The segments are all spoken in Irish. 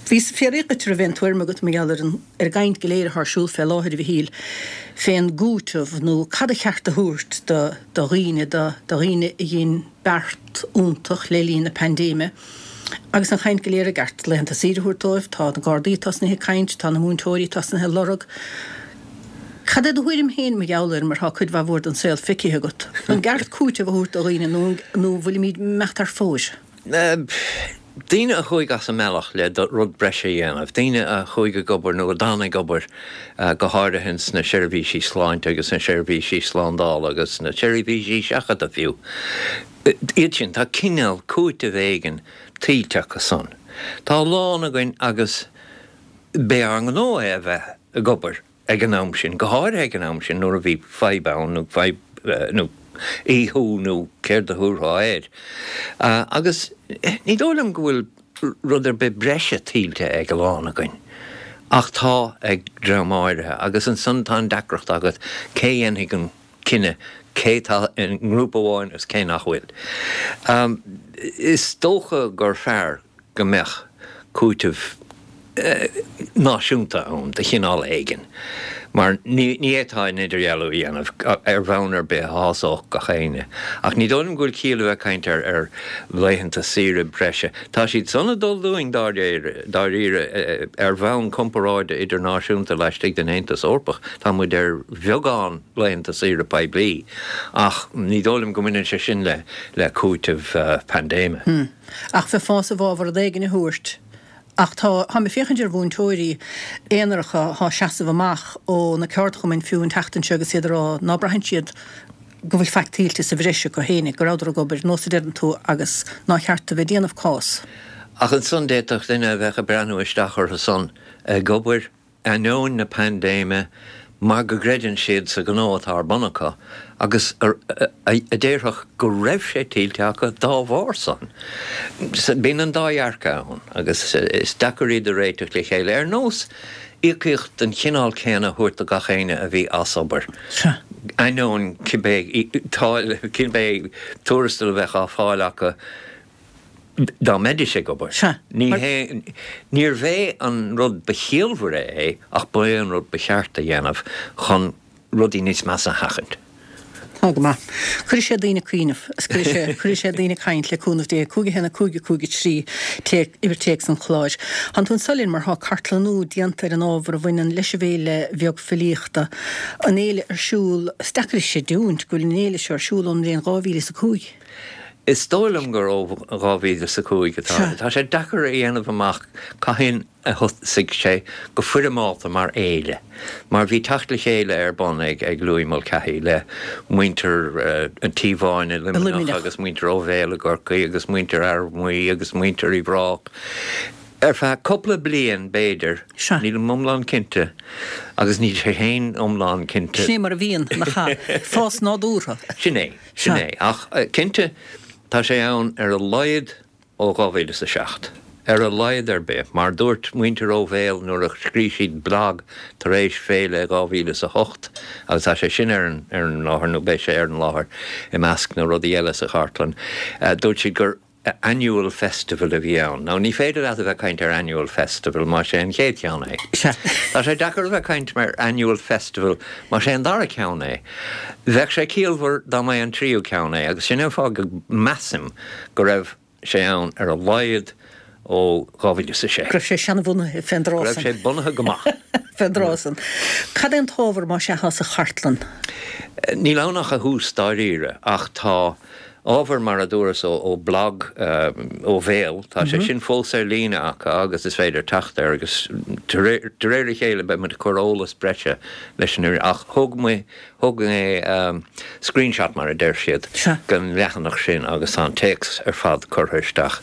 Bhíos ag fiafraí dhuit an raibh aon tuairim agat mar gheall ar an ar an gcaint go léir atá ar siúl fé láthair, a Mhichíl, fén gcúiteamh nó cad a cheart a thabhairt do do dhaoine, do do dhaoine a dhein beart iontach le linn na paindéime. Agus an chaint go léir ar gceart laethanta saoire a thabhairt dóibh, tá na Gardaí tosnaithe ag caint, tá na múinteoirí tosnaithe ag lorg. Cad é do thuairim féin mar gheall air mar tá cuid mhaith mhór den saol feicthe agat? An gceart cúiteamh a thabhairt do dhaoine nó nó bhfuilimid imeacht thar fóir? Daoine a chuaigh as a mbealach le rud breise a dhéanamh, daoine a chuaigh ag obair nó a d'fhan ag obair, go háirithe sna seirbhísí sláinte agus sna seirbhísí slándála agus sna seirbhísí seachadta fiú, iad sin, tá cineál cúitimh éigin tuillte acu san. Tá a lán againn agus b'é ár ngnó é a bheith ag obair. ag an am sin, go háirithe ag an am sin nuair a bhí fadhb ann nó fadhb nó aothú nó céard a thabharfá air. Agus ní dóigh liom go bhfuil rud ar bith breise tuillte ag a lán againn, ach tá ag dream áirithe. Agus ansan tá an deacracht agat, cé a dhéanfaidh an cinneadh cé tá i ngrúpa amháin agus cé nach bhfuil? Is dócha gur fearr go mbeadh cúiteamh náisiúnta ann de chineál éigin, mar ní fhéadfá an idirdhealú a dhéanamh ar bhonn ar bith a shásódh gach éinne. Ach ní dóigh liom go bhfuil ciall a bheith ag caint ar laethanta saoire breise. Tá siad san ag dul dúinn dáiríre ar bhonn comparáide idirnáisiúnta laistigh den Aontas Eorpach. Tá muid ar bheagán laethanta saoire poiblí ach ní dóigh liom go mbaineann sé sin le cúiteamh paindéime. Ach bheifeá i bhfabhar rud éigin a thabhairt. Ach tá, táim ag féachaint ar mhúinteoirí aonaracha atá ag seasamh amach ó na ceardchumainn fiú an tseachtain seo agus iad ag rá ná braitheann siad go bhfuil faic tuillte sa bhreis acu féinig, go rabhadar ag obair, nós a deireann tú, agus nár cheart a bheith ag déanamh cás. Ach ansan d'fhéadfadh duine a bheadh ag breathnú isteach orthu san ag obair ainneoin na paindéime mar go gcreideann siad sa ghnó atá ar bun acu agus a déarfadh go raibh sé tuillte acu dá bharr san. Bíonn an dá dhearcadh ann agus is deacair iad a réiteach le chéile, ar nós íocaíocht den chineál céanna a thabhairt do gach éinne a bhí as obair, ainneoin cibé táille, cibé tuarastal a bheadh á fáil acu. Dá mbeidís ag obair. Sea. Ní hé, níorbh é an rud ba chiallmhaire é ach ba é an rud ba cheart a dhéanamh chun rudaí níos measa a sheachaint. Tá go maith. Cuirfidh sé daoine ag cuimhneamh is cuirfidh sé, cuirfidh sé daoine ag caint le cúnamh Dé. 5 1 5 5 3 téacs, uimhir téacs an chláir. Tánn tú anso linn mar tá cartlannú déanta ar an ábhar a bhaineann leis an bhFéile Bheag Filíochta. An fhéile ar siúl, is deacair a chreidiúint go bhfuil an fhéile seo ar siúl ón mbliain 2005. Is dóigh liom gur ó 2005 atá. Tá sé deacair a dhéanamh amach cathain a thosaigh sé go foirmeálta mar fhéile, mar bhí teacht le chéile ar bun ag Louis Mulcahy le muintir an Tí Bháin i Luimneach agus muintir Ó Bhéal i gCorcaigh agus muintir Fhear Maí agus muintir Uíbh Ráthach ar feadh cúpla bliain b'fhéidir, nílim iomlán cinnte agus níl sé féin iomlán cinnte. Sin é mar a bhíonn, nach ea? Fás nádúrtha. Sin é. Sin é. Ach cinnte, tá sé ann ar a laghad ó 2007. Ar a laghad ar bith. Mar dúirt muintir Ó Bhéal nuair a scrígh siad blag tar éis féile 2008, agus tá sé sin ar an ar an láthair, nó beidh sé ar an láthair i measc na rudaí eile sa chartlann, dúirt siad gur annual festival a bhí ann. Now ní féidir leat a bheith ag caint ar annual festival más é an chéad cheann é. Tá sé deacair a bheith ag caint ar annual festival más é an dara ceann é. Bheadh sé ciallmhar dá mba é an tríú ceann é agus sin é an fáth go measaim go raibh sé ann ar a laghad ó 2006. Go raibh sé seanbhunaithe fén dtráth san. Go raibh sé bunaithe go maith. Fén dtráth san. Cad é an t-ábhar más ea atá sa chartlann? Níl ann ach a thús dáiríre ach tá Ábhar, mar a dúras, ó bhlag Ó Bhéal, tá sé sin fós ar líne acu agus is féidir teacht air agus de réir a chéile beidh muid ag cur eolas breise leis an ach thóg mé, thóg mé screenshot mar a deir siad den leathanach sin agus tá an téacs ar fad curtha isteach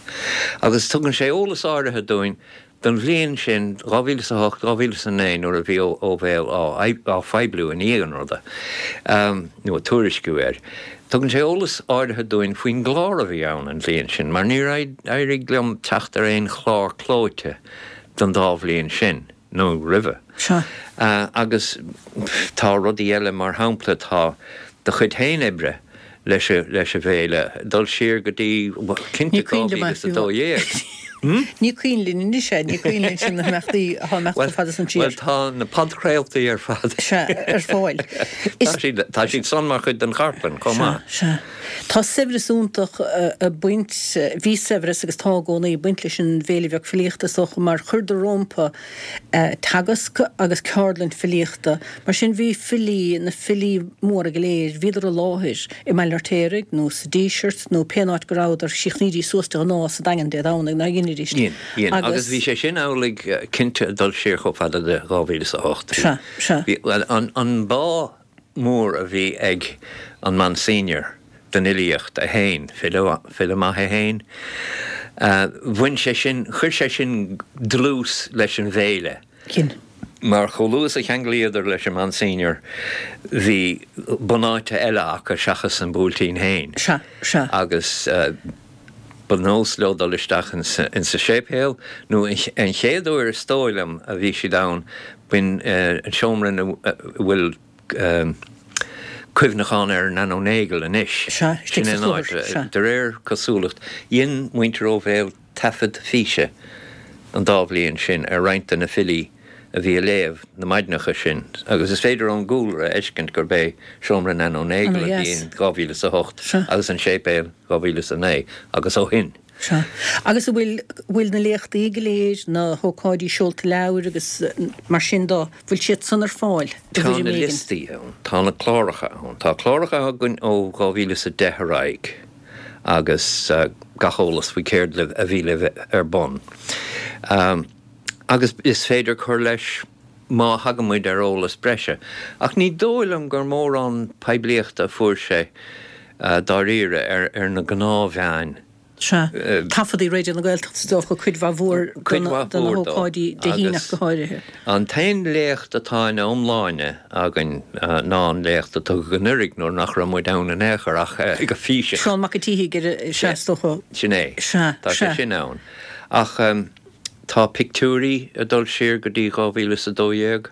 agus tugann sé eolas áirithe dúinn Don bhliain sin, 2008, 2009, nuair a bhí Ó Bhéal á phoibliú i ndiaidh an ruda, nó ag tuairisciú air, tugann sé eolas áirithe dúinn faoin gclár a bhí ann an bhliain sin, mar níor éirigh liom teacht ar aon chlár clóite don dá bhliain sin, nó roimhe. Agus tá rudaí eile, mar shampla, tá do chuid féin oibre leis an bhféile, dul siar go dtí, cinnte, 2012. Ní cuimhin linn anois é, ní cuimhin linn sin na himeachtaí atá imeacht chomh fada san siar. Bhuel, tá na podchraoltaí ar fad. Sea, ar fáil. Tá siad, tá siad san mar chuid den chartlann chomh maith. Sea, sea. Tá saibhreas iontach ag baint, bhí saibhreas agus tá i gcónaí ag baint leis an bhFéile Bheag Filíochta is dócha mar chuireadar rompu teagasc agus ceardlann filíochta. Mar sin bhí filí, na filí móra go léir, bhíodar i láthair i mBaile an Fheirtéaraigh nó sa Díseart nó pén áit go rabhadar, chríochnaídís suas de ghnáth sa Daingean Dé Domhnaigh, nár dheinidís? Dhein, dhein. Agus bhí sé sin amhlaidh cinnte ag dul siar chomh fada le 2008. Sea, sea. Bhí, bhuel, an, an bá mór a bhí ag an Monsignor don fhilíocht é féin, file, file maith é féin, bhain sé sin, chuir sé sin dlús leis an bhféile. Dhein. Mar chomh luath is a cheanglaíodar leis an Monsignor bhí bunáite eile acu seachas an Buailtín féin. Sea, sea. Agus ba nós leo dul isteach insa séipéal, nó an chéad uair is dóigh liom a bhí siad ann, b'in an seomra ina bhfuil cuimhneachán ar Nan O'Neill anois. Sea, istigh sa chlúthar, sea. De réir cosúlacht, dhein muintir Ó Bhéal taifead físe an dá bhliain sin ar roinnt de na filí a bhí a léamh na maidneacha sin agus is féidir ón gcúlra a fheiscint gurb é seomra Nan O'Neill a bhí in 2008 agus an séipéal 2009 agus ó shin. Sea. Agus an bhfuil, bhfuil na léachtaí go léir, na hócáidí seolta leabhair agus mar sin de, bhfuil siad san ar fáil i Tá bhfoirm na éigin? liostaí ann, tá na cláracha ann. Tá cláracha againn ó 2010 ar aghaidh agus gach eolas faoi céard a bhí le bheith ar bun. Agus is féidir cur leis má thagann muid ar eolas breise. Ach ní dóigh liom gur mórán poiblíochta a fuair sé dáiríre ar na gnáthmheáin. Sea. Taifeadtaí Raidió na Gaeltachta is dócha, cuid mhaith mhór Cuid mhaith de na mhór dó. hócáidí Dé hAoine ach Agus go háirithe. an t-aon léacht atá ina iomláine againn ná an léacht a tugadh anuraidh nuair nach raibh muid ann in aon chor ach go físeach. Seán Mac an tSíthigh ar a, sea, is dócha. Sin é. Sea, Tá sé sea. sin ann. Ach tá pictiúirí ag dul siar go dtí 2012.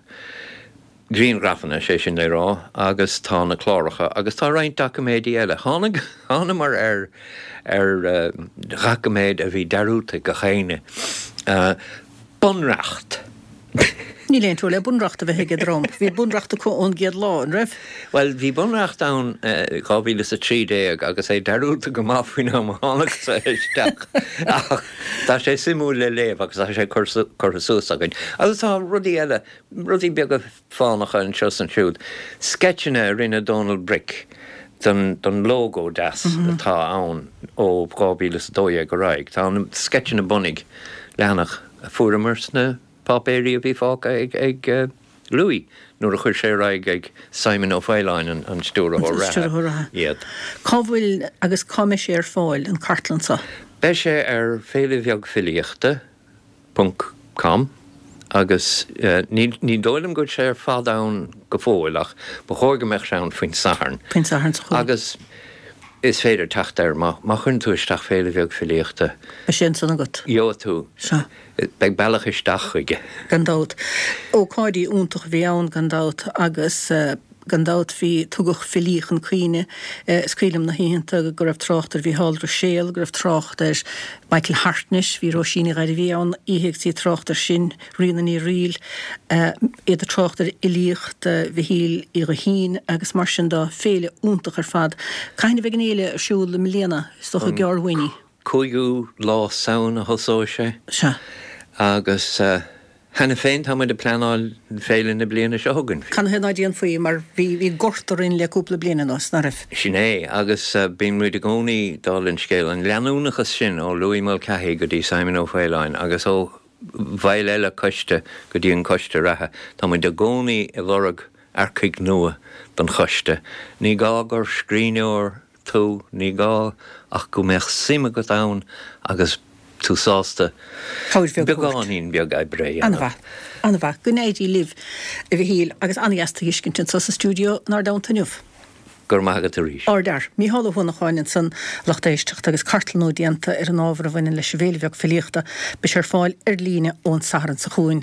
grianghrafanna, sé sin le rá, agus tá na cláracha agus tá roinnt doiciméidí eile. Tháinig, thánamar ar, ar dhoiciméad a bhí dearúdta ag gach éinne. Bunreacht! Níl aon trua le bunreacht a bheith ag an dream. Bhí bunreacht acu ón gcéad lá, an raibh? Bhuel, bhí bunreacht ann i 2013 agus é dearúdta go maith faoin am a thánagsa isteach. Ach tá sé suimiúil le léamh agus tá sé curtha suas againn. Agus tá rudaí eile Rudaí beaga fánacha anseo is ansiúd. Sceitseanna a rinne Dónal Bric don don lógó deas atá ann ó 2012 ar aghaidh. Tá na sceitseanna bunaidh, leathanach a fuaireamar sna páipéirí a bhí fágtha ag ag Louis nuair a chuir sé ar aghaidh ag Simon Ó Faoláin, an stiúrthóir reatha, iad. Cá bhfuil agus cá mbeidh sé ar fáil, an cartlann seo? Beidh sé ar Féile Bheag Filíochta. ponc com agus ní ní dóigh liom go bhfuil sé ar fad ann go fóill ach ba chóir go mbeadh sé ann faoin Satharn. Faoin Satharn seo chugainn. Agus is féidir teacht air má má chuireann tú isteach Féile Bheag Filíochta. Beidh sé ansan agat. Gheobhaidh tú. Sea. Beidh bealach isteach chuige. Gan dabht. Ócáidí iontach a bhí ann gan dabht agus. Gan dabht bhí, tugadh filí chun cuimhne. Is cuimhin liom na hoícheanta go raibh trácht ar Mhícheál Ruiséal, go raibh trácht ar Michael Hartnett, bhí Róisín Ní Ghairbhí ann oíche agus í ag trácht air sin, Ríona Ní Fhrighil, iad ag trácht ar fhilíocht Mhichíl Uí Ghuithín agus mar sin de. Féile iontach ar fad. Cathain a bheidh an fhéile ar siúl i mbliana? Is dócha gearr uainn í. Cúigiú lá Samhain a thosóidh sé. Sea. Agus. Cheana féin tá muid ag pleanáil féile na bliana seo chugainn. Canathaobh ná déanfaí mar bhí bhí gorta orainn le cúpla bliain anuas, ná raibh? Sin é, agus bíonn muid i gcónaí, dála an scéil, an leanúnachas sin ó Louis Mulcahy go dtí Simon Ó Faoláin agus ó bhaill eile coiste go dtí an coiste reatha, tá muid i gcónaí ag lorg earcaigh nua don choiste. Ní gá gur scríbhneoir tú, ní gá ach go mbeadh suim agat ann agus tú sásta Cabhair bheag a thabhairt. beagáinín beag oibre a dhéanamh. An-mhaith. An-mhaith. Go n-éirí libh, a Mhichíl, agus an-dheas tú a fheiscint anseo sa stiúideo inár dteannta inniu. Go raibh maith agat arís. Ardfhear. Mícheál Ó hUanacháin ansan, lucht éisteachta, agus cartlannú déanta ar an ábhar a bhaineann leis an bhFéile Bheag Filíochta. Beidh sé ar fáil ar líne ón Satharn seo chugainn.